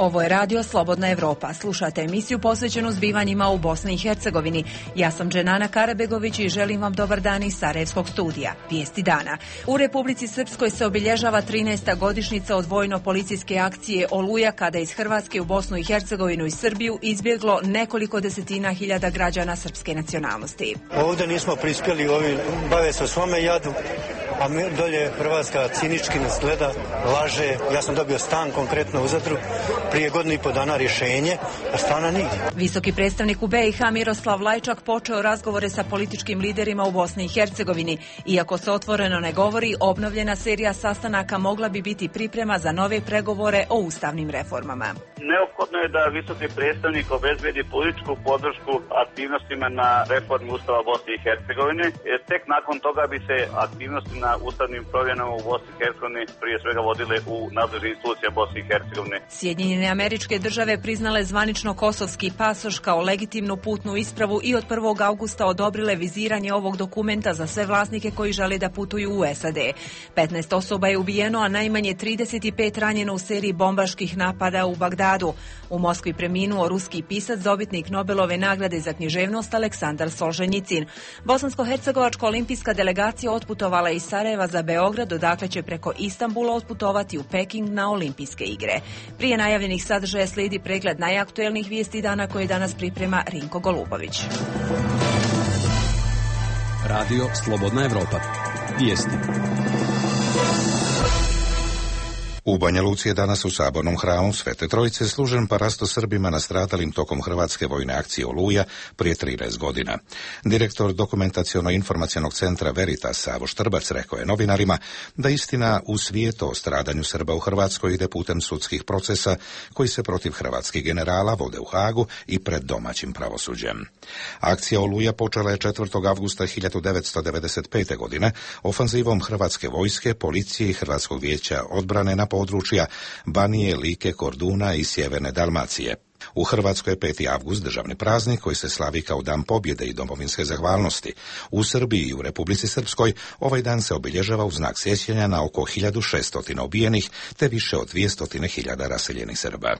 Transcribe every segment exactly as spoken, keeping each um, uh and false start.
Ovo je radio Slobodna Evropa. Slušate emisiju posvećenu zbivanjima u Bosni i Hercegovini. Ja sam Dženana Karabegović i želim vam dobar dan iz Sarajevskog studija. Vijesti dana. U Republici Srpskoj se obilježava trinaesta godišnjica od vojno-policijske akcije Oluja, kada iz Hrvatske u Bosnu i Hercegovinu i Srbiju izbjeglo nekoliko desetina hiljada građana srpske nacionalnosti. Ovdje nismo prispjeli, ovi bave se o svome jadu, a mi dolje Hrvatska cinički nas gleda, laže. Ja sam dobio stan konkretno u Zadru, prije godinu i po dana rješenje, a stana nigdje. Visoki predstavnik u B i H Miroslav Lajčak počeo razgovore sa političkim liderima u Bosni i Hercegovini. Iako se otvoreno ne govori, obnovljena serija sastanaka mogla bi biti priprema za nove pregovore o ustavnim reformama. Neophodno je da visoki predstavnik obezbedi političku podršku aktivnostima na reformu Ustava Bosne i Hercegovine. Tek nakon toga bi se aktivnosti na ustavnim promjenama u Bosni i Hercegovini prije svega vodile u nadležne institucije Bosne i Hercegovine. Sjedinjene Američke Države priznale zvanično kosovski pasoš kao legitimnu putnu ispravu i od prvog avgusta odobrile viziranje ovog dokumenta za sve vlasnike koji žele da putuju u S A D. petnaest osoba je ubijeno, a najmanje trideset pet ranjeno u seriji bombaških napada u Bagdadu. U Moskvi preminuo ruski pisac, dobitnik Nobelove nagrade za književnost Aleksandar Solženjicin. Bosansko-hercegovačka olimpijska delegacija otputovala iz Sarajeva za Beograd, odakle će preko Istanbula otputovati u Peking na olimpijske igre. Prije najavljenih sadržaja slijedi pregled najaktuelnijih vijesti dana koje danas priprema Rinko Golubović. Radio Slobodna Evropa. Vijesti. U Banja Luci je danas u sabornom hramu Svete Trojice služen parasto Srbima nastradalim tokom hrvatske vojne akcije Oluja prije trinaest godina. Direktor dokumentaciono-informacionog centra Veritas Savo Štrbac rekao je novinarima da istina u svijetu o stradanju Srba u Hrvatskoj ide putem sudskih procesa koji se protiv hrvatskih generala vode u Hagu i pred domaćim pravosuđem. Akcija Oluja počela je četvrtog avgusta hiljadu devetsto devedeset pete. godine ofanzivom hrvatske vojske, policije i Hrvatskog vijeća odbrane na područja Banije, Like, Korduna i sjeverne Dalmacije. U Hrvatskoj je peti avgust državni praznik koji se slavi kao Dan pobjede i domovinske zahvalnosti. U Srbiji i u Republici Srpskoj ovaj dan se obilježava u znak sjećanja na oko hiljadu šesto ubijenih te više od dvjesto hiljada raseljenih Srba.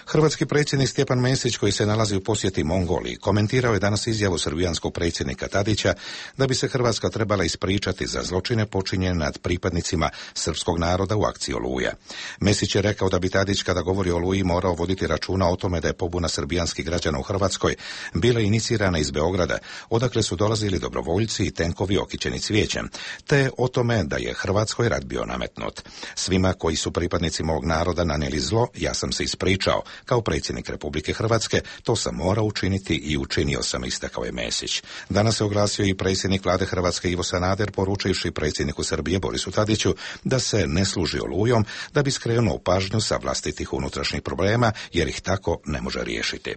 Hrvatski predsjednik Stjepan Mesić, koji se nalazi u posjeti Mongoliji, komentirao je danas izjavu srbijanskog predsjednika Tadića da bi se Hrvatska trebala ispričati za zločine počinjene nad pripadnicima srpskog naroda u akciji Oluja. Mesić je rekao da bi Tadić, kada govori o Oluji, morao voditi računa o tome da je pobuna srbijanskih građana u Hrvatskoj bila inicirana iz Beograda, odakle su dolazili dobrovoljci i tenkovi okićeni cvijećem, te o tome da je Hrvatskoj rat bio nametnut. Svima koji su pripadnici mog naroda nanijeli zlo, ja sam se ispričao. Kao predsjednik Republike Hrvatske to sam morao učiniti i učinio sam, istakao je Mesić. Danas se oglasio i predsjednik vlade Hrvatske Ivo Sanader, poručivši predsjedniku Srbije Borisu Tadiću da se ne služi Olujom, da bi skrenuo pažnju sa vlastitih unutrašnjih problema, jer ih tako ne može riješiti.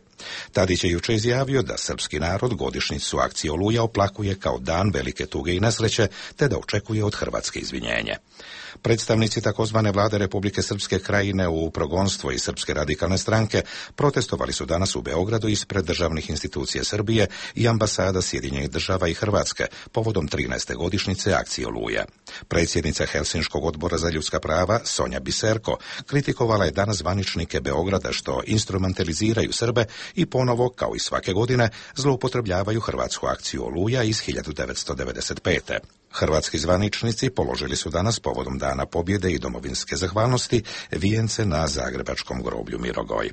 Tadić je jučer izjavio da srpski narod godišnjicu akcije Oluja oplakuje kao dan velike tuge i nesreće, te da očekuje od Hrvatske izvinjenje. Predstavnici takozvane vlade Republike Srpske Krajine u progonstvo i Srpske radikalne stranke protestovali su danas u Beogradu ispred državnih institucija Srbije i ambasada Sjedinjenih država i Hrvatske povodom trinaeste godišnjice akcije Oluja. Predsjednica Helsinškog odbora za ljudska prava Sonja Biserko kritikovala je danas zvaničnike Beograda što instrumentaliziraju Srbe i ponovo, kao i svake godine, zloupotrebljavaju hrvatsku akciju Oluja iz hiljadu devetsto devedeset pete. Hrvatski zvaničnici položili su danas povodom Dana pobjede i domovinske zahvalnosti vijence na zagrebačkom groblju Mirogoj.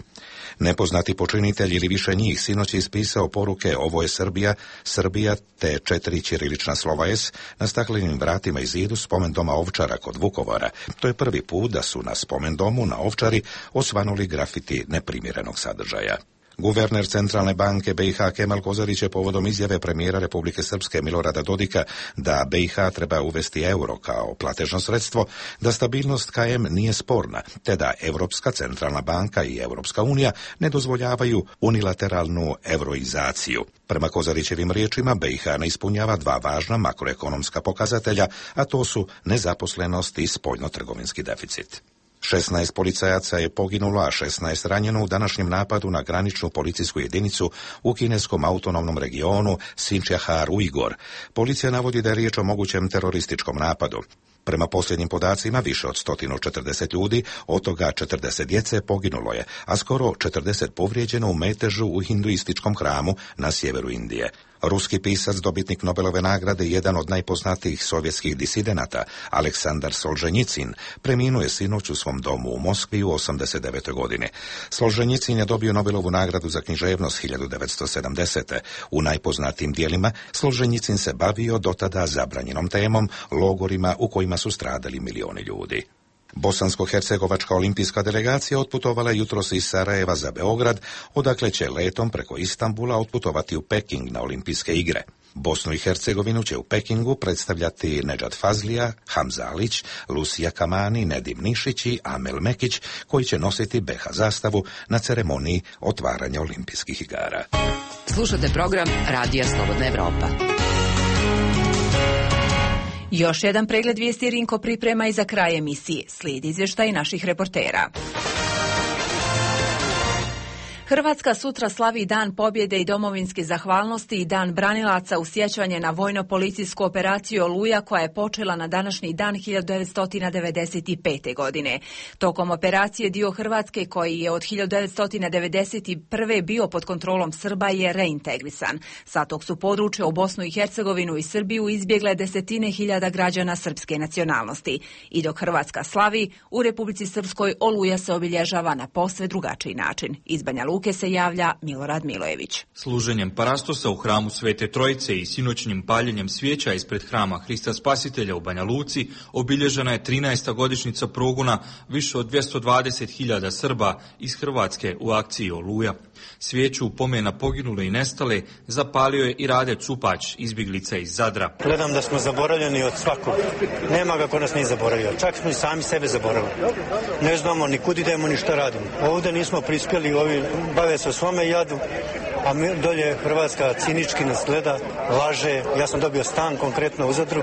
Nepoznati počinitelj ili više njih sinoć je ispisao poruke "Ovo je Srbija, Srbija" te četiri ćirilična slova S na staklenim vratima i zidu spomendoma Ovčara kod Vukovara. To je prvi put da su na spomendomu na Ovčari osvanuli grafiti neprimjerenog sadržaja. Guverner Centralne banke B i H Kemal Kozarić je povodom izjave premijera Republike Srpske Milorada Dodika da B i H treba uvesti euro kao platežno sredstvo, da stabilnost K M nije sporna, te da Europska Centralna banka i Europska unija ne dozvoljavaju unilateralnu euroizaciju. Prema Kozarićevim riječima, B i H ne ispunjava dva važna makroekonomska pokazatelja, a to su nezaposlenost i spoljnotrgovinski deficit. šesnaest policajaca je poginulo, a šesnaest ranjeno u današnjem napadu na graničnu policijsku jedinicu u kineskom autonomnom regionu Sinčjahar-Ujgor. Policija navodi da je riječ o mogućem terorističkom napadu. Prema posljednjim podacima, više od sto četrdeset ljudi, od toga četrdeset djece poginulo je, a skoro četrdeset povrijeđeno u metežu u hinduističkom hramu na sjeveru Indije. Ruski pisac, dobitnik Nobelove nagrade, jedan od najpoznatijih sovjetskih disidenata, Aleksandar Solženjicin, preminuo je sinoć u svom domu u Moskvi u osamdeset devetoj godini. Solženjicin je dobio Nobelovu nagradu za književnost hiljadu devetsto sedamdesete. U najpoznatijim dijelima Solženjicin se bavio dotada zabranjenom temom, logorima u kojima su stradali milioni ljudi. Bosansko-hercegovačka olimpijska delegacija otputovala jutros iz Sarajeva za Beograd, odakle će letom preko Istanbula otputovati u Peking na olimpijske igre. Bosnu i Hercegovinu će u Pekingu predstavljati Nedžad Fazlija, Hamza Alić, Lucija Kamani, Nedim Nišić i Amel Mekić, koji će nositi be ha zastavu na ceremoniji otvaranja olimpijskih igara. Slušate program Radija Slobodna Evropa. Još jedan pregled vijesti Rinko priprema i za kraj emisije. Slijedi izvještaj naših reportera. Hrvatska sutra slavi Dan pobjede i domovinske zahvalnosti i Dan branilaca u sjećanje na vojno-policijsku operaciju Oluja koja je počela na današnji dan hiljadu devetsto devedeset pete. godine. Tokom operacije dio Hrvatske koji je od hiljadu devetsto devedeset prve. bio pod kontrolom Srba je reintegrisan. Sa tog su područja u Bosnu i Hercegovinu i Srbiju izbjegle desetine hiljada građana srpske nacionalnosti. I dok Hrvatska slavi, u Republici Srpskoj Oluja se obilježava na posve drugačiji način. Iz Banja Luke se javlja Milorad Milojević. Služenjem parastosa u hramu Svete Trojice i sinoćnim paljenjem svijeća ispred hrama Hrista Spasitelja u Banja Luci obilježena je trinaesta godišnjica progona više od dvjesto dvadeset hiljada Srba iz Hrvatske u akciji Oluja. Svijeću u pomen na poginule i nestale zapalio je i Rade Cupać, izbjeglica iz Zadra. Gledam da smo zaboravljeni od svakog. Nema ga ko nas nije zaboravio. Čak smo i sami sebe zaboravili. Ne znamo ni kud idemo ni šta radimo. Ovdje nismo prispjeli, ovi bave se o svome jadu, a mi dolje Hrvatska cinički nas gleda, laže. Ja sam dobio stan konkretno u Zadru,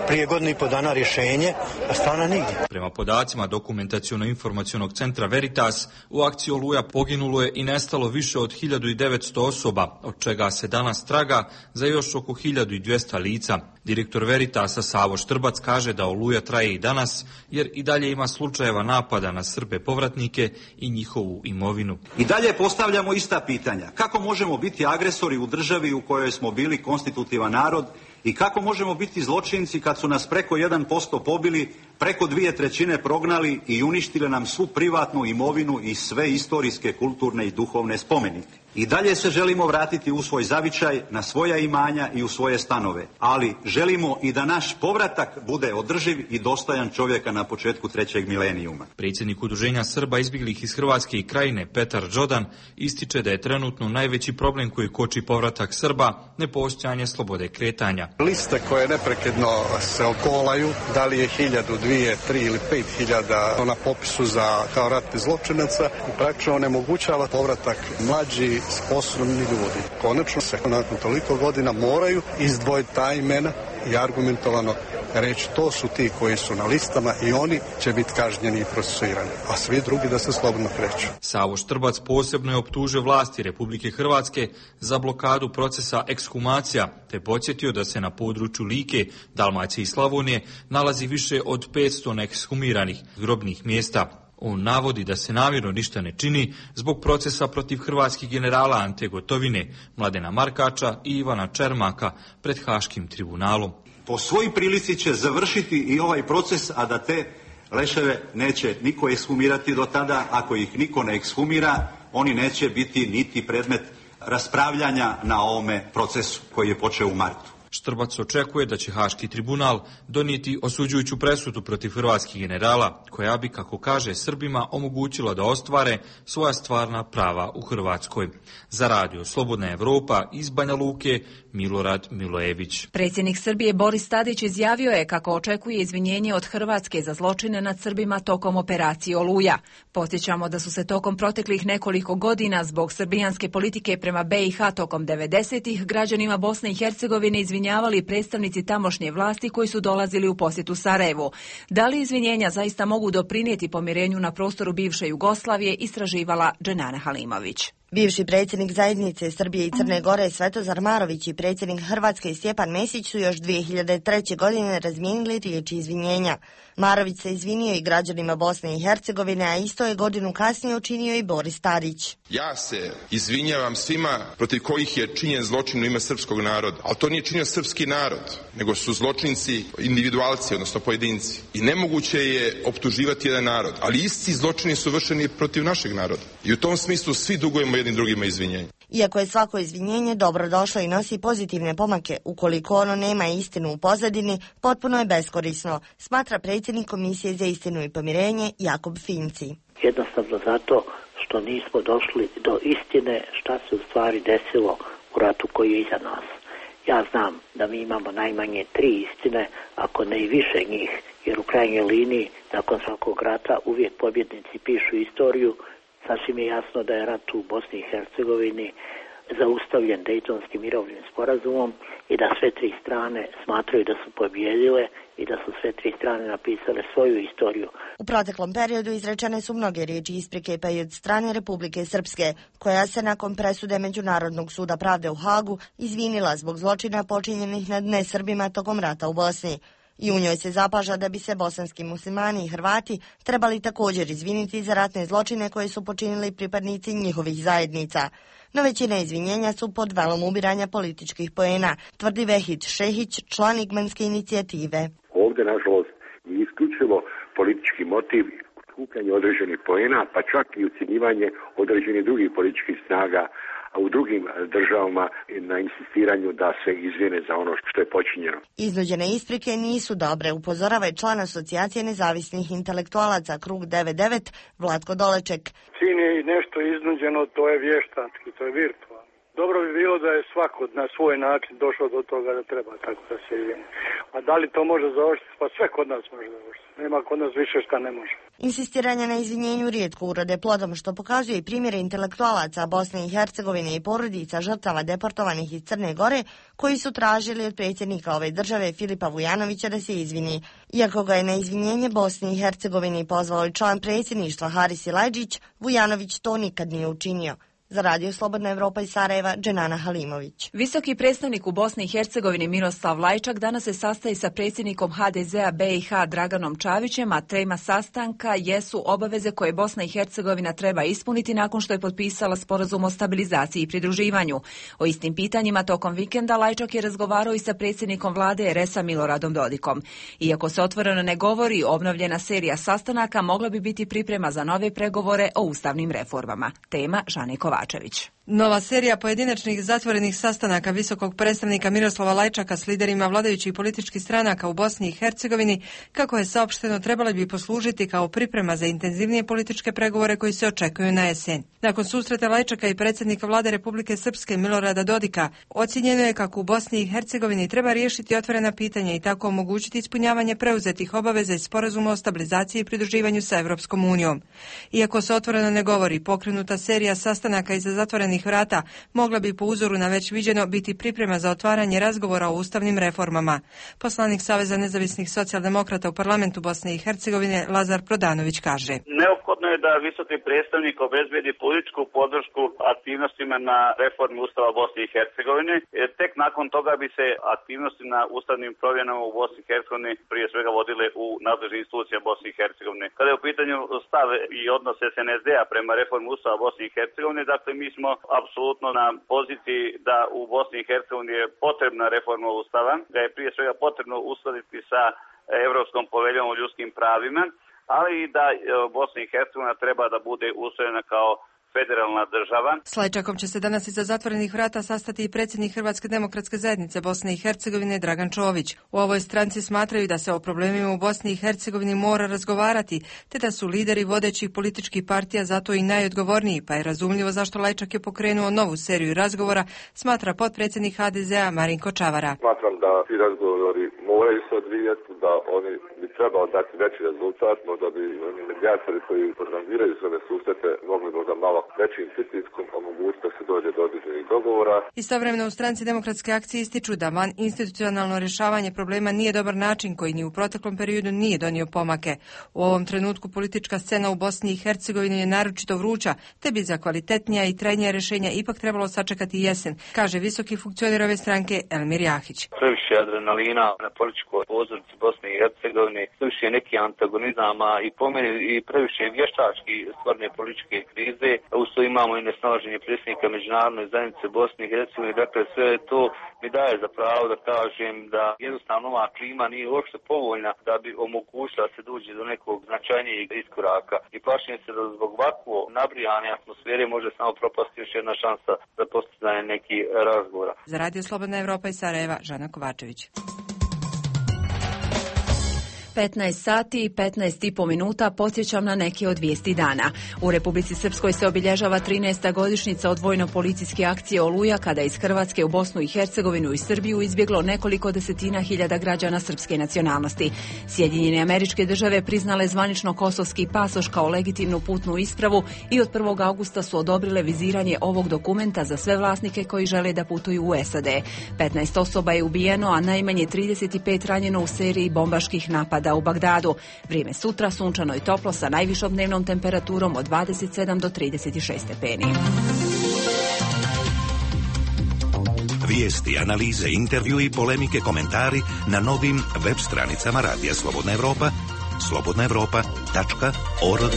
prije godinu i po dana rješenje, a stana nigdje. Prema podacima Dokumentaciono-informacionog centra Veritas, u akciji Oluja poginulo je i nestalo više od hiljadu devetsto osoba, od čega se danas traga za još oko hiljadu dvjesto lica. Direktor Veritasa Savo Štrbac kaže da Oluja traje i danas, jer i dalje ima slučajeva napada na Srbe povratnike i njihovu imovinu. I dalje postavljamo ista pitanja. Kako možemo biti agresori u državi u kojoj smo bili konstitutivan narod i kako možemo biti zločinci kad su nas preko jedan posto pobili, preko dvije trećine prognali i uništili nam svu privatnu imovinu i sve istorijske, kulturne i duhovne spomenike. I dalje se želimo vratiti u svoj zavičaj, na svoja imanja i u svoje stanove, ali želimo i da naš povratak bude održiv i dostojan čovjeka na početku trećeg milenijuma. Predsjednik Udruženja Srba izbjeglih iz Hrvatske i Krajine Petar Đodan ističe da je trenutno najveći problem koji koči povratak Srba nepostojanje slobode kretanja. Liste koje neprekidno se okolaju, da li je hiljadu, dvije, tri ili pet hiljada na popisu za kao ratni zločinaca, praktično onemogućava povratak mlađi, sposobni ljudi. Konačno se nakon toliko godina moraju izdvojiti ta imena i argumentovano reći to su ti koji su na listama i oni će biti kažnjeni i procesuirani, a svi drugi da se slobodno kreću. Savo Štrbac posebno je optužio vlasti Republike Hrvatske za blokadu procesa ekshumacija, te podsjetio da se na području Like, Dalmacije i Slavonije nalazi više od petsto neekshumiranih grobnih mjesta. On navodi da se namjerno ništa ne čini zbog procesa protiv hrvatskih generala Ante Gotovine, Mladena Markača i Ivana Čermaka pred Haškim tribunalom. Po svoj prilici će završiti i ovaj proces, a da te leševe neće niko ekshumirati do tada. Ako ih niko ne ekshumira, oni neće biti niti predmet raspravljanja na ovome procesu koji je počeo u martu. Štrbac očekuje da će Haški tribunal donijeti osuđujuću presudu protiv hrvatskih generala, koja bi, kako kaže, Srbima omogućila da ostvare svoja stvarna prava u Hrvatskoj. Za Radio Slobodna Evropa iz Banja Luke, Milorad Milojević. Predsjednik Srbije Boris Tadić izjavio je kako očekuje izvinjenje od Hrvatske za zločine nad Srbima tokom operacije Oluja. Podsjećamo da su se tokom proteklih nekoliko godina zbog srbijanske politike prema be i ha tokom devedesetih građanima Bosne i Hercegovine izvinjavali predstavnici tamošnje vlasti koji su dolazili u posjetu Sarajevu. Da li izvinjenja zaista mogu doprinijeti pomirenju na prostoru bivše Jugoslavije, istraživala Dženana Halimović. Bivši predsjednik zajednice Srbije i Crne Gore Svetozar Marović i predsjednik Hrvatske Stjepan Mesić su još dvije hiljade treće. godine razmijenili riječi izvinjenja. Marović se izvinio i građanima Bosne i Hercegovine, a isto je godinu kasnije učinio i Boris Tadić. Ja se izvinjavam svima protiv kojih je činjen zločin u ime srpskog naroda, ali to nije činio srpski narod, nego su zločinci individualci, odnosno pojedinci. I nemoguće je optuživati jedan narod, ali isti zločini su vršeni protiv našeg naroda. I u tom smislu svi dugujemo jednim drugima izvinjenje. Iako je svako izvinjenje dobro došlo i nosi pozitivne pomake, ukoliko ono nema istinu u pozadini, potpuno je beskorisno, smatra predsjednik Komisije za istinu i pomirenje Jakob Finci. Jednostavno zato što nismo došli do istine šta se u stvari desilo u ratu koji je iza nas. Ja znam da mi imamo najmanje tri istine, ako ne i više njih, jer u krajnjoj liniji, nakon svakog rata, uvijek pobjednici pišu istoriju. Sasvim je jasno da je rat u Bosni i Hercegovini zaustavljen Dejtonskim mirovnim sporazumom i da sve tri strane smatraju da su pobjedile i da su sve tri strane napisale svoju istoriju. U proteklom periodu izrečene su mnoge riječi isprike, pa i od strane Republike Srpske, koja se nakon presude Međunarodnog suda pravde u Hagu izvinila zbog zločina počinjenih nad nesrbima tokom rata u Bosni. I u njoj se zapaža da bi se bosanski muslimani i Hrvati trebali također izviniti za ratne zločine koje su počinili pripadnici njihovih zajednica. No većina izvinjenja su pod velom ubiranja političkih poena, tvrdi Vehid Šehić, član Igmanske inicijative. Ovdje, nažalost, je isključivo politički motiv skupljanje određenih poena, pa čak i ucjenjivanje određenih drugih političkih snaga u drugim državama na insistiranju da se izvine za ono što je počinjeno. Iznuđene isprike nisu dobre, upozorava i član Asocijacije nezavisnih intelektualaca Krug devedeset devet Vlatko Doleček. Čim je nešto iznuđeno, to je vještački, to je virtualno. Dobro bi bilo da je svako na svoj način došao do toga da treba tako da se izvine. A da li to može završiti? Pa sve kod nas može završiti. Nema kod nas više šta ne može. Insistiranje na izvinjenju rijetko urode plodom, što pokazuje i primjere intelektualaca Bosne i Hercegovine i porodica žrtava deportovanih iz Crne Gore, koji su tražili od predsjednika ove države Filipa Vujanovića da se izvini. Iako ga je na izvinjenje Bosni i Hercegovini pozvao i član predsjedništva Haris Silajdžić, Vujanović to nikad nije učinio. Za Radio Slobodna Evropa iz Sarajeva, Dženana Halimović. Visoki predstavnik u Bosni i Hercegovini Miroslav Lajčak danas se sastaje sa predsjednikom ha de zea be i ha Draganom Čavićem, a tema sastanka jesu obaveze koje Bosna i Hercegovina treba ispuniti nakon što je potpisala sporazum o stabilizaciji i pridruživanju. O istim pitanjima tokom vikenda Lajčak je razgovarao i sa predsjednikom vlade er es a Miloradom Dodikom. Iako se otvoreno ne govori, obnovljena serija sastanaka mogla bi biti priprema za nove pregovore o ustavnim reformama. Tema Žane Kovačević. Nova serija pojedinačnih zatvorenih sastanaka visokog predstavnika Miroslava Lajčaka s liderima vladajućih političkih stranaka u Bosni i Hercegovini, kako je saopšteno, trebali bi poslužiti kao priprema za intenzivnije političke pregovore koji se očekuju na jesen. Nakon susreta Lajčaka i predsjednika vlade Republike Srpske Milorada Dodika, ocijenjeno je kako u Bosni i Hercegovini treba riješiti otvorena pitanja i tako omogućiti ispunjavanje preuzetih obaveza iz sporazuma o stabilizaciji i pridruživanju sa Evropskom unijom. Iako se otvoreno ne govori, pokrenuta serija sastanaka iza zatvorenih vrata mogla bi po uzoru na već viđeno biti priprema za otvaranje razgovora o ustavnim reformama. Poslanik Saveza nezavisnih socijaldemokrata u parlamentu Bosne i Hercegovine Lazar Prodanović kaže: Neophodno je da visoki predstavnik obezbedi političku podršku aktivnostima na reformi Ustava Bosne i Hercegovine. Tek nakon toga bi se aktivnosti na ustavnim promjenama u Bosni i Hercegovini prije svega vodile u nadležnim institucijama Bosne i Hercegovine. Kada je u pitanju stav i odnos es en es de-a prema reformi Ustava Bosne i Hercegovine, dakle mi smo apsolutno na poziciji da u Bosni i Hercegovini je potrebna reforma Ustava, da je prije svega potrebno uskladiti sa Evropskom poveljom o ljudskim pravima, ali i da Bosna i Hercegovina treba da bude ustrojena kao federalna država. S Lajčakom će se danas iza zatvorenih vrata sastati i predsjednik Hrvatske demokratske zajednice Bosne i Hercegovine Dragan Čović. U ovoj stranci smatraju da se o problemima u Bosni i Hercegovini mora razgovarati, te da su lideri vodećih političkih partija zato i najodgovorniji, pa je razumljivo zašto Lajčak je pokrenuo novu seriju razgovora, smatra potpredsjednik ha de zea Marinko Čavara. Smatram da ti razgovori moraju se odvijati, da oni bi trebao dati veći rezultat, no da bi oni medijatori koji organiziraju sve susrete mogli možda malo većim pritiskom omogućiti da se dođe do određenih dogovora. Istovremeno u Stranci Demokratske akcije ističu da van institucionalno rješavanje problema nije dobar način koji ni u proteklom periodu nije donio pomake. U ovom trenutku politička scena u Bosni i Hercegovini je naročito vruća, te bi za kvalitetnija i trajnija rješenja ipak trebalo sačekati jesen, kaže visoki funkcioner ove stranke Elmir Jahić. Previše adrenalina na političkoj pozornici Bosne i Hercegovine, previše neki antagonizama i po meni i previše vještački stvarne političke krize. Usto imamo i nesnalaženje predsjednika međunarodne zajednice Bosne i Hercegovine. Dakle, sve to mi daje za pravo da kažem da jednostavno ova klima nije uopšte povoljna da bi omogućila da se dođe do nekog značajnijeg iskoraka. I plašim se da zbog ovakvo nabrijane atmosfere može samo propasti još jedna šansa za postizanje nekih razgovora. Za Radio Slobodna Evropa iz Sarajeva, Žana Kovačević. petnaest sati i petnaest i po minuta podsjećam na neke od vijesti dana. U Republici Srpskoj se obilježava trinaesta godišnjica od vojno-policijske akcije Oluja, kada iz Hrvatske u Bosnu i Hercegovinu i Srbiju izbjeglo nekoliko desetina hiljada građana srpske nacionalnosti. Sjedinjene Američke Države priznale zvanično kosovski pasoš kao legitimnu putnu ispravu i od prvog augusta su odobrile viziranje ovog dokumenta za sve vlasnike koji žele da putuju u S A D. petnaest osoba je ubijeno, a najmanje trideset pet ranjeno u seriji bombaških napada u Bagdadu. Vrijeme sutra sunčano i toplo sa najvišom dnevnom temperaturom od dvadeset sedam do trideset šest stepeni. Vijesti, analize, intervju i polemike, komentari na novim web stranicama Radija Slobodna Evropa, slobodna evropa tačka org.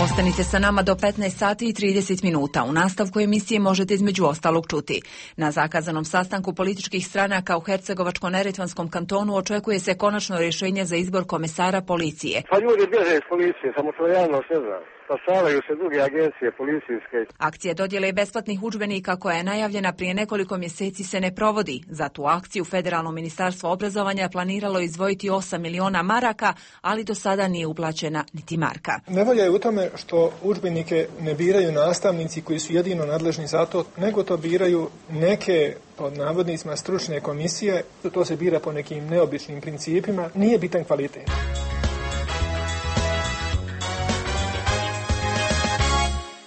Ostanite sa nama do petnaest sati i trideset minuta. U nastavku emisije možete između ostalog čuti. Na zakazanom sastanku političkih stranaka u Hercegovačko-Neretvanskom kantonu očekuje se konačno rješenje za izbor komesara policije. Pa ljudi bježe iz policije, samo to javnost ne zna. Spašavaju se druge agencije policijske. Akcija dodjele besplatnih udžbenika koja je najavljena prije nekoliko mjeseci se ne provodi. Za tu akciju Federalno ministarstvo obrazovanja planiralo izdvojiti osam miliona maraka, ali do sada nije uplaćena niti marka. Nevolja je u tome što udžbenike ne biraju nastavnici koji su jedino nadležni za to, nego to biraju neke, pod navodnicima, stručne komisije. To se bira po nekim neobičnim principima. Nije bitan kvalitet.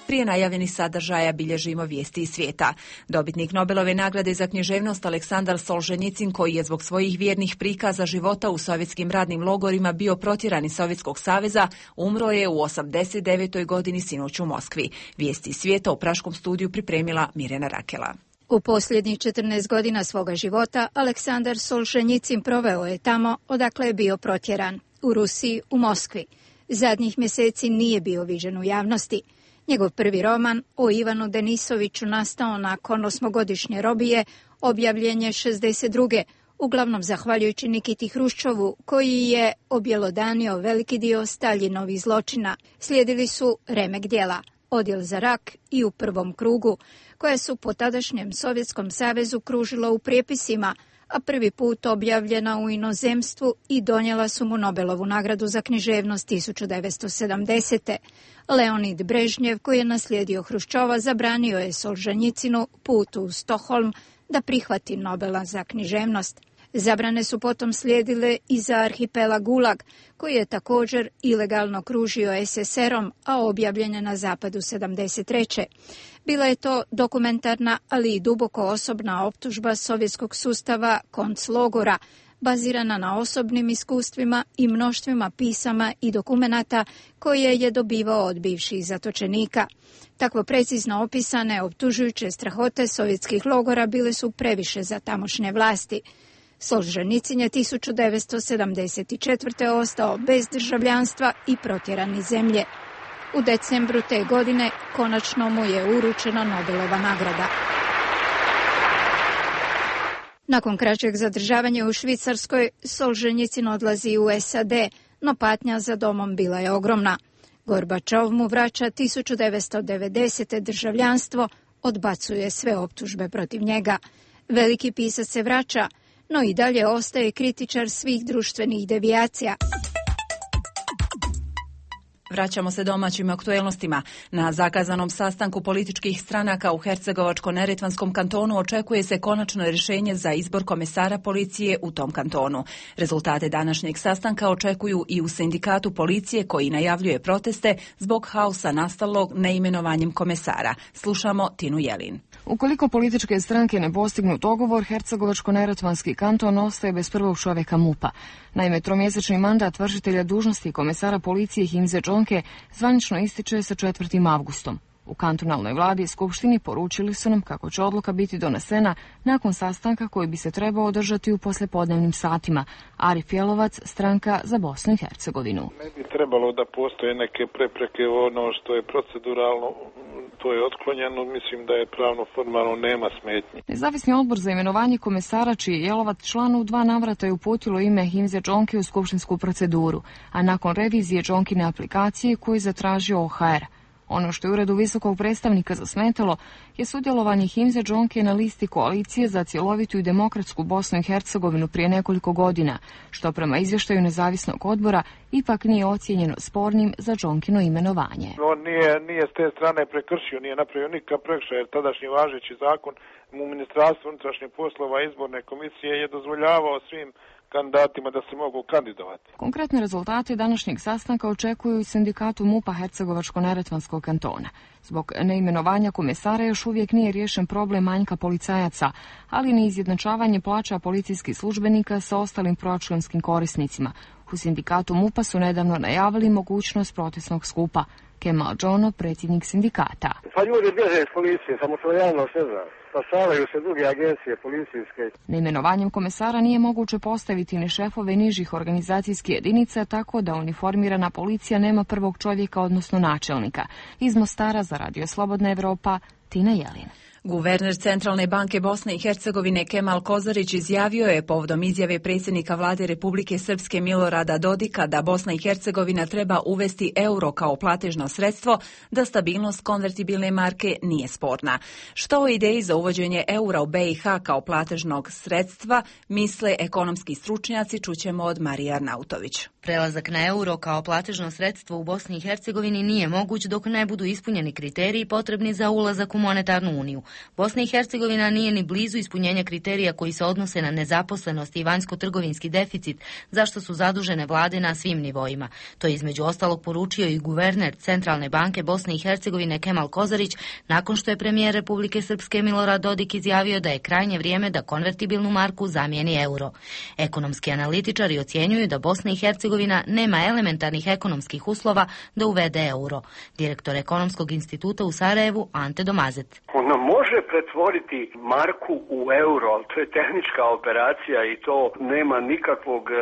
Prije najavljenih sadržaja bilježimo vijesti iz svijeta. Dobitnik Nobelove nagrade za književnost Aleksandar Solženjicin, koji je zbog svojih vjernih prikaza života u sovjetskim radnim logorima bio protjeran iz Sovjetskog saveza, umro je u osamdeset devetoj godini sinoć u Moskvi. Vijesti iz svijeta u praškom studiju pripremila Mirjana Rakela. U posljednjih četrnaest godina svoga života Aleksandar Solženjicin proveo je tamo odakle je bio protjeran, u Rusiji, u Moskvi. Zadnjih mjeseci nije bio viđen u javnosti. Njegov prvi roman o Ivanu Denisoviću, nastao nakon osmogodišnje robije, objavljen je šezdeset druge uglavnom zahvaljujući Nikiti Hruščovu, koji je objelodanio veliki dio Staljinovih zločina. Slijedili su remek djela, Odjel za rak i U prvom krugu, koje su po tadašnjem Sovjetskom savezu kružila u prijepisima, a prvi put objavljena u inozemstvu i donijela su mu Nobelovu nagradu za književnost tisuću devetsto sedamdesete. Leonid Brežnjev, koji je naslijedio Hruščova, zabranio je Solženjicinu put u Stockholm da prihvati Nobela za književnost. Zabrane su potom slijedile i za arhipelag Gulag, koji je također ilegalno kružio S S R-om, a objavljen je na zapadu sedamdeset treće. Bila je to dokumentarna, ali i duboko osobna optužba sovjetskog sustava konclogora, bazirana na osobnim iskustvima i mnoštvima pisama i dokumenata koje je dobivao od bivših zatočenika. Takvo precizno opisane optužujuće strahote sovjetskih logora bile su previše za tamošnje vlasti. Solženjicin je tisuću devetsto sedamdeset četvrte ostao bez državljanstva i protjeran iz zemlje. U decembru te godine konačno mu je uručena Nobelova nagrada. Nakon kraćeg zadržavanja u Švicarskoj, Solženjicin odlazi u S A D, no patnja za domom bila je ogromna. Gorbačov mu vraća tisuću devetsto devedesete državljanstvo, odbacuje sve optužbe protiv njega. Veliki pisac se vraća, no i dalje ostaje kritičar svih društvenih devijacija. Vraćamo se domaćim aktuelnostima. Na zakazanom sastanku političkih stranaka u Hercegovačko-neretvanskom kantonu očekuje se konačno rješenje za izbor komesara policije u tom kantonu. Rezultate današnjeg sastanka očekuju i u sindikatu policije koji najavljuje proteste zbog haosa nastalog neimenovanjem komesara. Slušamo Tinu Jelin. Ukoliko političke stranke ne postignu dogovor, Hercegovačko-neretvanski kanton ostaje bez prvog čovjeka MUP-a. Naime, tromjesečni mandat vršitelja dužnosti komesara policije Himze Džonke zvanično ističe sa četvrtim avgustom. U kantonalnoj vladi i skupštini poručili su nam kako će odluka biti donesena nakon sastanka koji bi se trebao održati u poslijepodnevnim satima. Arif Jelovac, stranka za Bosnu i Hercegovinu. Ne bi trebalo da postoje neke prepreke, ono što je proceduralno, to je otklonjeno, mislim da je pravno formalno nema smetnji. Nezavisni odbor za imenovanje komesara, čiji je Jelovac član, u dva navrata je uputilo ime Himze Džonke u skupštinsku proceduru, a nakon revizije Džonkine aplikacije koju je zatražio O H R. Ono što je uredu visokog predstavnika zasmetalo je sudjelovanje Himze Džonke na listi koalicije za cjelovitu i demokratsku Bosnu i Hercegovinu prije nekoliko godina, što prema izvještaju nezavisnog odbora ipak nije ocijenjeno spornim za Džonkino imenovanje. On nije, nije s te strane prekršio, nije napravio nikakav prekršaj, jer tadašnji važeći zakon u Ministarstvu unutrašnjih poslova izborne komisije je dozvoljavao svim kandidatima da se mogu kandidovati. Konkretne rezultate današnjeg sastanka očekuju i sindikatu MUP-a Hercegovačko-neretvanskog kantona. Zbog neimenovanja komesara još uvijek nije riješen problem manjka policajaca, ali ni izjednačavanje plaća policijskih službenika sa ostalim proračunskim korisnicima. U sindikatu MUP-a su nedavno najavili mogućnost protestnog skupa. Kemal Džono, predsjednik sindikata. Pa ljudi bježe iz policije, samo što javno se zna. Spašavaju se druge agencije policijske. Neimenovanjem komesara nije moguće postaviti ni šefove nižih organizacijskih jedinica, tako da uniformirana policija nema prvog čovjeka, odnosno načelnika. Iz Mostara za Radio Slobodna Evropa, Tina Jelin. Guverner Centralne banke Bosne i Hercegovine Kemal Kozarić izjavio je povodom izjave predsjednika vlade Republike Srpske Milorada Dodika da Bosna i Hercegovina treba uvesti euro kao platežno sredstvo, da stabilnost konvertibilne marke nije sporna. Što o ideji za uvođenje eura u B i H kao platežnog sredstva misle ekonomski stručnjaci, čućemo od Marije Arnautović. Prelazak na euro kao platežno sredstvo u Bosni i Hercegovini nije moguć dok ne budu ispunjeni kriteriji potrebni za ulazak u monetarnu uniju. Bosna i Hercegovina nije ni blizu ispunjenja kriterija koji se odnose na nezaposlenost i vanjsko-trgovinski deficit, zašto su zadužene vlade na svim nivoima. To je između ostalog poručio i guverner Centralne banke Bosne i Hercegovine Kemal Kozarić, nakon što je premijer Republike Srpske Milorad Dodik izjavio da je krajnje vrijeme da konvertibilnu marku zamijeni euro. Ekonomski analitičari ocjenjuju da Bosna i Hercegovina nema elementarnih ekonomskih uslova da uvede euro. Direktor Ekonomskog instituta u Sarajevu Ante Domazet. Ona može pretvoriti marku u euro, ali to je tehnička operacija i to nema nikakvog e,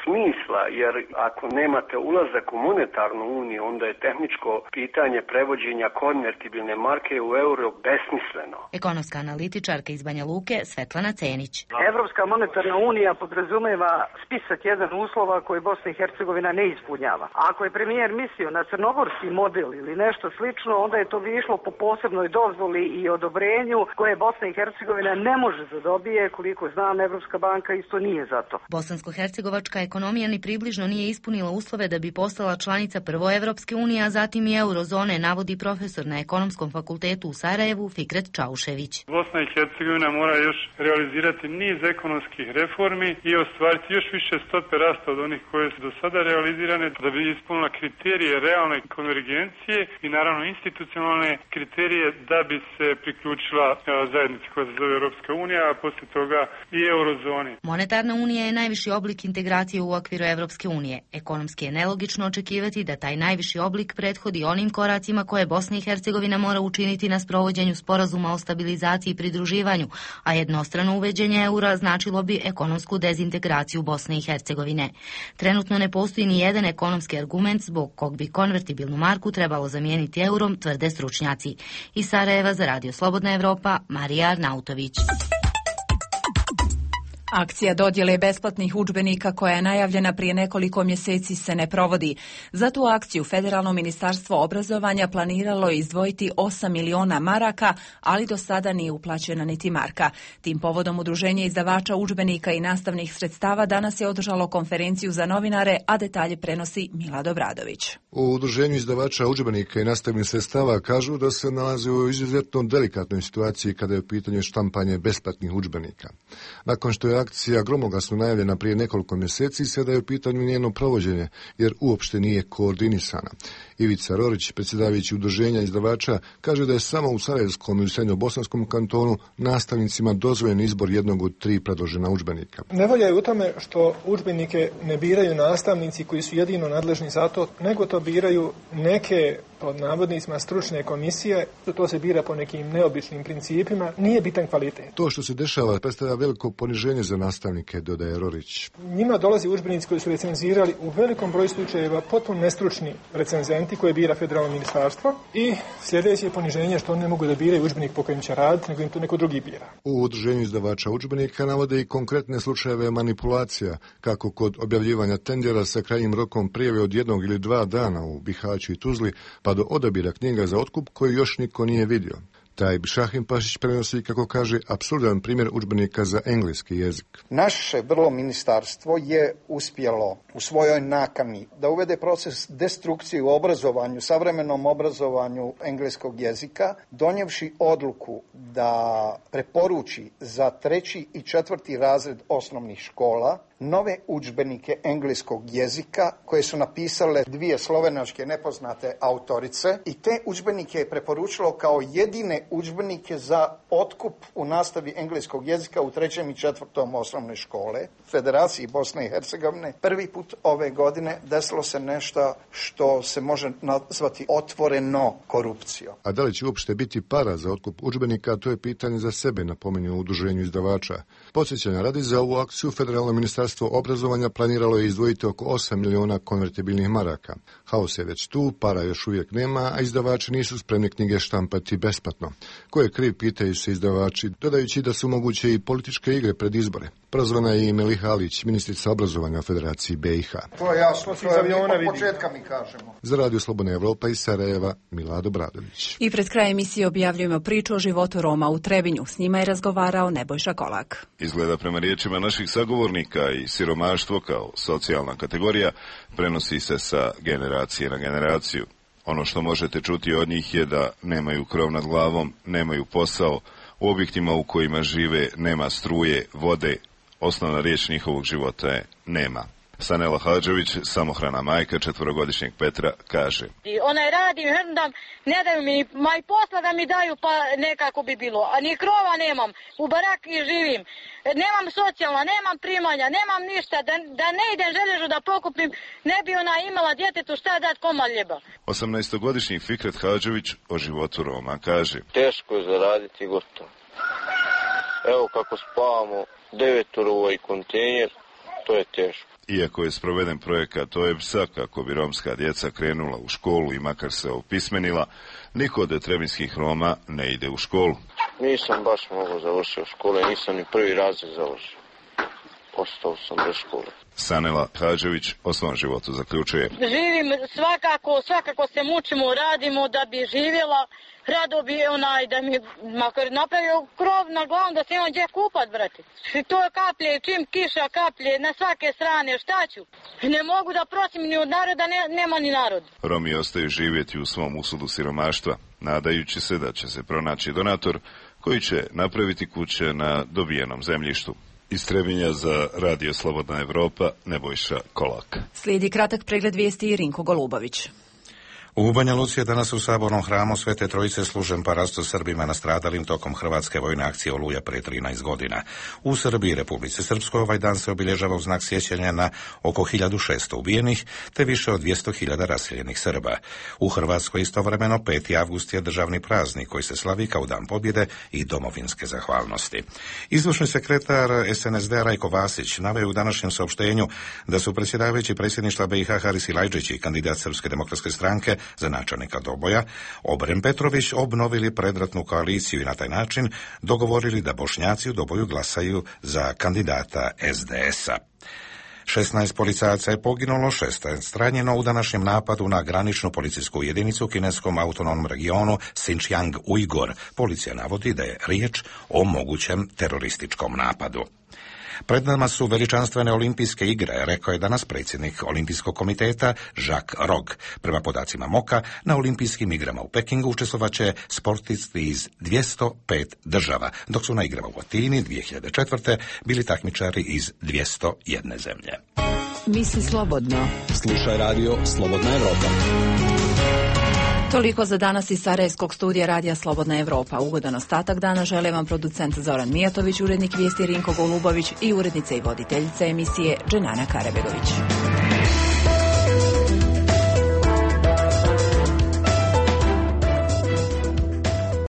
smisla, jer ako nemate ulazak u monetarnu uniju, onda je tehničko pitanje prevođenja konvertibilne marke u euro besmisleno. Ekonomska analitičarka iz Banja Luke Svetlana Cenić. Evropska monetarna unija podrazumeva spisak jedan uslova koje Bosna i Hercegovina ne ispunjava. Ako je premijer mislio na crnogorski model ili nešto slično, onda je to bi išlo po posebnoj dozvoli i odobrenju koje Bosna i Hercegovina ne može da dobije, koliko znam, Evropska banka isto nije za to. Bosansko-hercegovačka ekonomija ni približno nije ispunila uslove da bi postala članica prvo Evropske unije, a zatim i eurozone, navodi profesor na Ekonomskom fakultetu u Sarajevu Fikret Čaušević. Bosna i Hercegovina mora još realizirati niz ekonomskih reformi i ostvariti još više stope rasta od onih koje su do sada realizirane da bi ispunila kriterije realne konvergencije i naravno institucionalne kriterije da bi se priključila zajednici koja se zove Europska unija, a poslije toga i eurozoni. Monetarna unija je najviši oblik integracije u okviru Europske unije. Ekonomski je nelogično očekivati da taj najviši oblik prethodi onim koracima koje Bosna i Hercegovina mora učiniti na sprovođenju sporazuma o stabilizaciji i pridruživanju, a jednostrano uveđenje eura značilo bi ekonomsku dezintegraciju Bosne i Hercegovine. Trenutno ne postoji ni jedan ekonomski argument zbog kog bi konvertibilnu marku trebalo zamijeniti eurom, tvrde stručnjaci. Iz Sarajeva za Radio Slobodna Evropa, Marija Arnautović. Akcija dodjele besplatnih udžbenika koja je najavljena prije nekoliko mjeseci se ne provodi. Za tu akciju Federalno ministarstvo obrazovanja planiralo je izdvojiti osam miliona maraka, ali do sada nije uplaćena niti marka. Tim povodom Udruženje izdavača udžbenika i nastavnih sredstava danas je održalo konferenciju za novinare, a detalje prenosi Milad Obradović. U Udruženju izdavača udžbenika i nastavnih sredstava kažu da se nalazi u izuzetno delikatnoj situaciji kada je u pitanju štampanje besplatnih udžbenika. Nakon što je akcija gromoglasno najavljena prije nekoliko mjeseci, sada je u pitanju njeno provođenje, jer uopšte nije koordinisana. Ivica Rorić, predsjedavajući Udruženja izdavača, kaže da je samo u Sarajevskom i u Srednjobosanskom kantonu nastavnicima dozvoljen izbor jednog od tri predložena udžbenika. Nevolja je u tome što udžbenike ne biraju nastavnici koji su jedino nadležni za to, nego to biraju neke, pod navodnicima, stručne komisije. To se bira po nekim neobičnim principima. Nije bitan kvalitet. To što se dešava predstavlja veliko poniženje za nastavnike, dodaje Rorić. Njima dolazi udžbenici koji su recenzirali u velikom broju slučajeva potpuno nestručni recenzenti koje bira federalno ministarstvo i sljedeće je poniženje što oni ne mogu da biraju udžbenik po kojem će raditi, nego im to neko drugi bira. U Udruženju izdavača udžbenika navode i konkretne slučajeve manipulacija, kako kod objavljivanja tendera sa krajnjim rokom prijave od jednog ili dva dana u Bihaću i Tuzli, pa do odabira knjiga za otkup koji još niko nije vidio. Taj Šahim Pašić prenosi, kako kaže, apsurdan primjer udžbenika za engleski jezik. Naše vrlo ministarstvo je uspjelo u svojoj nakani da uvede proces destrukcije u obrazovanju, savremenom obrazovanju engleskog jezika, donjevši odluku da preporuči za treći i četvrti razred osnovnih škola nove udžbenike engleskog jezika koje su napisale dvije slovenačke nepoznate autorice i te udžbenike je preporučilo kao jedine udžbenike za otkup u nastavi engleskog jezika u trećem i četvrtom osnovne škole Federaciji Bosne i Hercegovine. Prvi put ove godine desilo se nešto što se može nazvati otvoreno korupcijom. A da li će uopšte biti para za otkup udžbenika, to je pitanje za sebe, napominju u Udruženju izdavača. Podsjećanja radi, za ovu akciju Federalno ministarstvo obrazovanja planiralo je izdvojiti oko osam miliona konvertibilnih maraka. Haos je već tu, para još uvijek nema, a izdavači nisu spremni knjige štampati besplatno. Ko je kriv, pitaju se izdavači, dodajući da su moguće i političke igre pred izbore. Prozvana je i Meliha Alić, ministrica obrazovanja u Federaciji B i H. To je jasno, to je od početka mi kažemo. Za Radio Slobodna Evropa iz Sarajeva, Milad Obradović. I pred krajem emisije objavljujemo priču o životu Roma u Trebinju. S njima je razgovarao Nebojša Kolak. Izgleda prema riječima naših sagovornika i siromaštvo kao socijalna kategorija prenosi se sa generacije na generaciju. Ono što možete čuti od njih je da nemaju krov nad glavom, nemaju posao, u objektima u kojima žive nema struje, vode. Osnovna riječ njihovog života je nema. Sanela Hadžević, samohrana majka četvorogodišnjeg Petra, kaže: Onaj radim, hrndam, ne daju mi ma i posla da mi daju, pa nekako bi bilo. A ni krova nemam, u baraki živim, nemam socijalna, nemam primanja, nemam ništa, da, da ne idem želježu da pokupim, ne bi ona imala djetetu šta dat komad ljeba. osamnaestogodišnji Fikret Hadžević o životu Roma kaže: Teško je zaraditi gotovo. Evo kako spavamo, devetoro u ovaj kontejner, to je teško. Iako je sproveden projekat O E B S-a kako bi romska djeca krenula u školu i makar se opismenila, niko od trebinskih Roma ne ide u školu. Nisam baš mogao završiti u škole, nisam ni prvi razred završio. Ostao sam bez škole. Sanela Hadžević o svom životu zaključuje: Živim svakako, svakako se mučimo, radimo da bi živjela. Rado bi onaj da mi makar napravio krov na glavu da se imam gdje kupat, brate. I to je kaplje, čim kiša kaplje na svake strane, šta ću? Ne mogu da prosim ni od naroda, ne, nema ni narod. Romi ostaju živjeti u svom usudu siromaštva, nadajući se da će se pronaći donator koji će napraviti kuće na dobijenom zemljištu. Iz Trebinja za Radio Slobodna Evropa, Nebojša Kolak. Slijedi kratak pregled vijesti i Rinko Golubović. U Banja Luci je danas u Sabornom hramu Svete Trojice služen parasto Srbima nastradalim tokom hrvatske vojne akcije Oluja prije trinaest godina. U Srbiji i Republici Srpskoj ovaj dan se obilježava u znak sjećanja na oko hiljadu šesto ubijenih te više od dvjesto hiljada raseljenih Srba. U Hrvatskoj istovremeno peti avgust je državni praznik koji se slavi kao dan pobjede i domovinske zahvalnosti. Izvršni sekretar S N S D-a Rajko Vasić naveo u današnjem saopštenju da su predsjedavajući predsjedništva B i H Haris Silajdžić i kandidat Srpske demokratske stranke za načelnika Doboja, Obrem Petrović obnovili predratnu koaliciju i na taj način dogovorili da Bošnjaci u Doboju glasaju za kandidata es de es-a. šesnaest policajaca je poginulo, šesnaest ranjeno u današnjem napadu na graničnu policijsku jedinicu u kineskom autonomnom regionu Xinjiang Ujgur. Policija navodi da je riječ o mogućem terorističkom napadu. Pred nama su veličanstvene olimpijske igre, rekao je danas predsjednik Olimpijskog komiteta Jacques Rogge. Prema podacima MOKA, na olimpijskim igrama u Pekingu učestvovaće sportisti iz dvjesto pet država, dok su na igrama u Atini dvije hiljade četvrte bili takmičari iz dvjesto jedne zemlje. Misli slobodno. Slušaj radio Slobodna Evropa. Toliko za danas iz Sarajevskog studija Radija Slobodna Evropa. Ugodan ostatak dana žele vam producent Zoran Mijatović, urednik vijesti Rinko Golubović i urednica i voditeljica emisije Dženana Karabegović.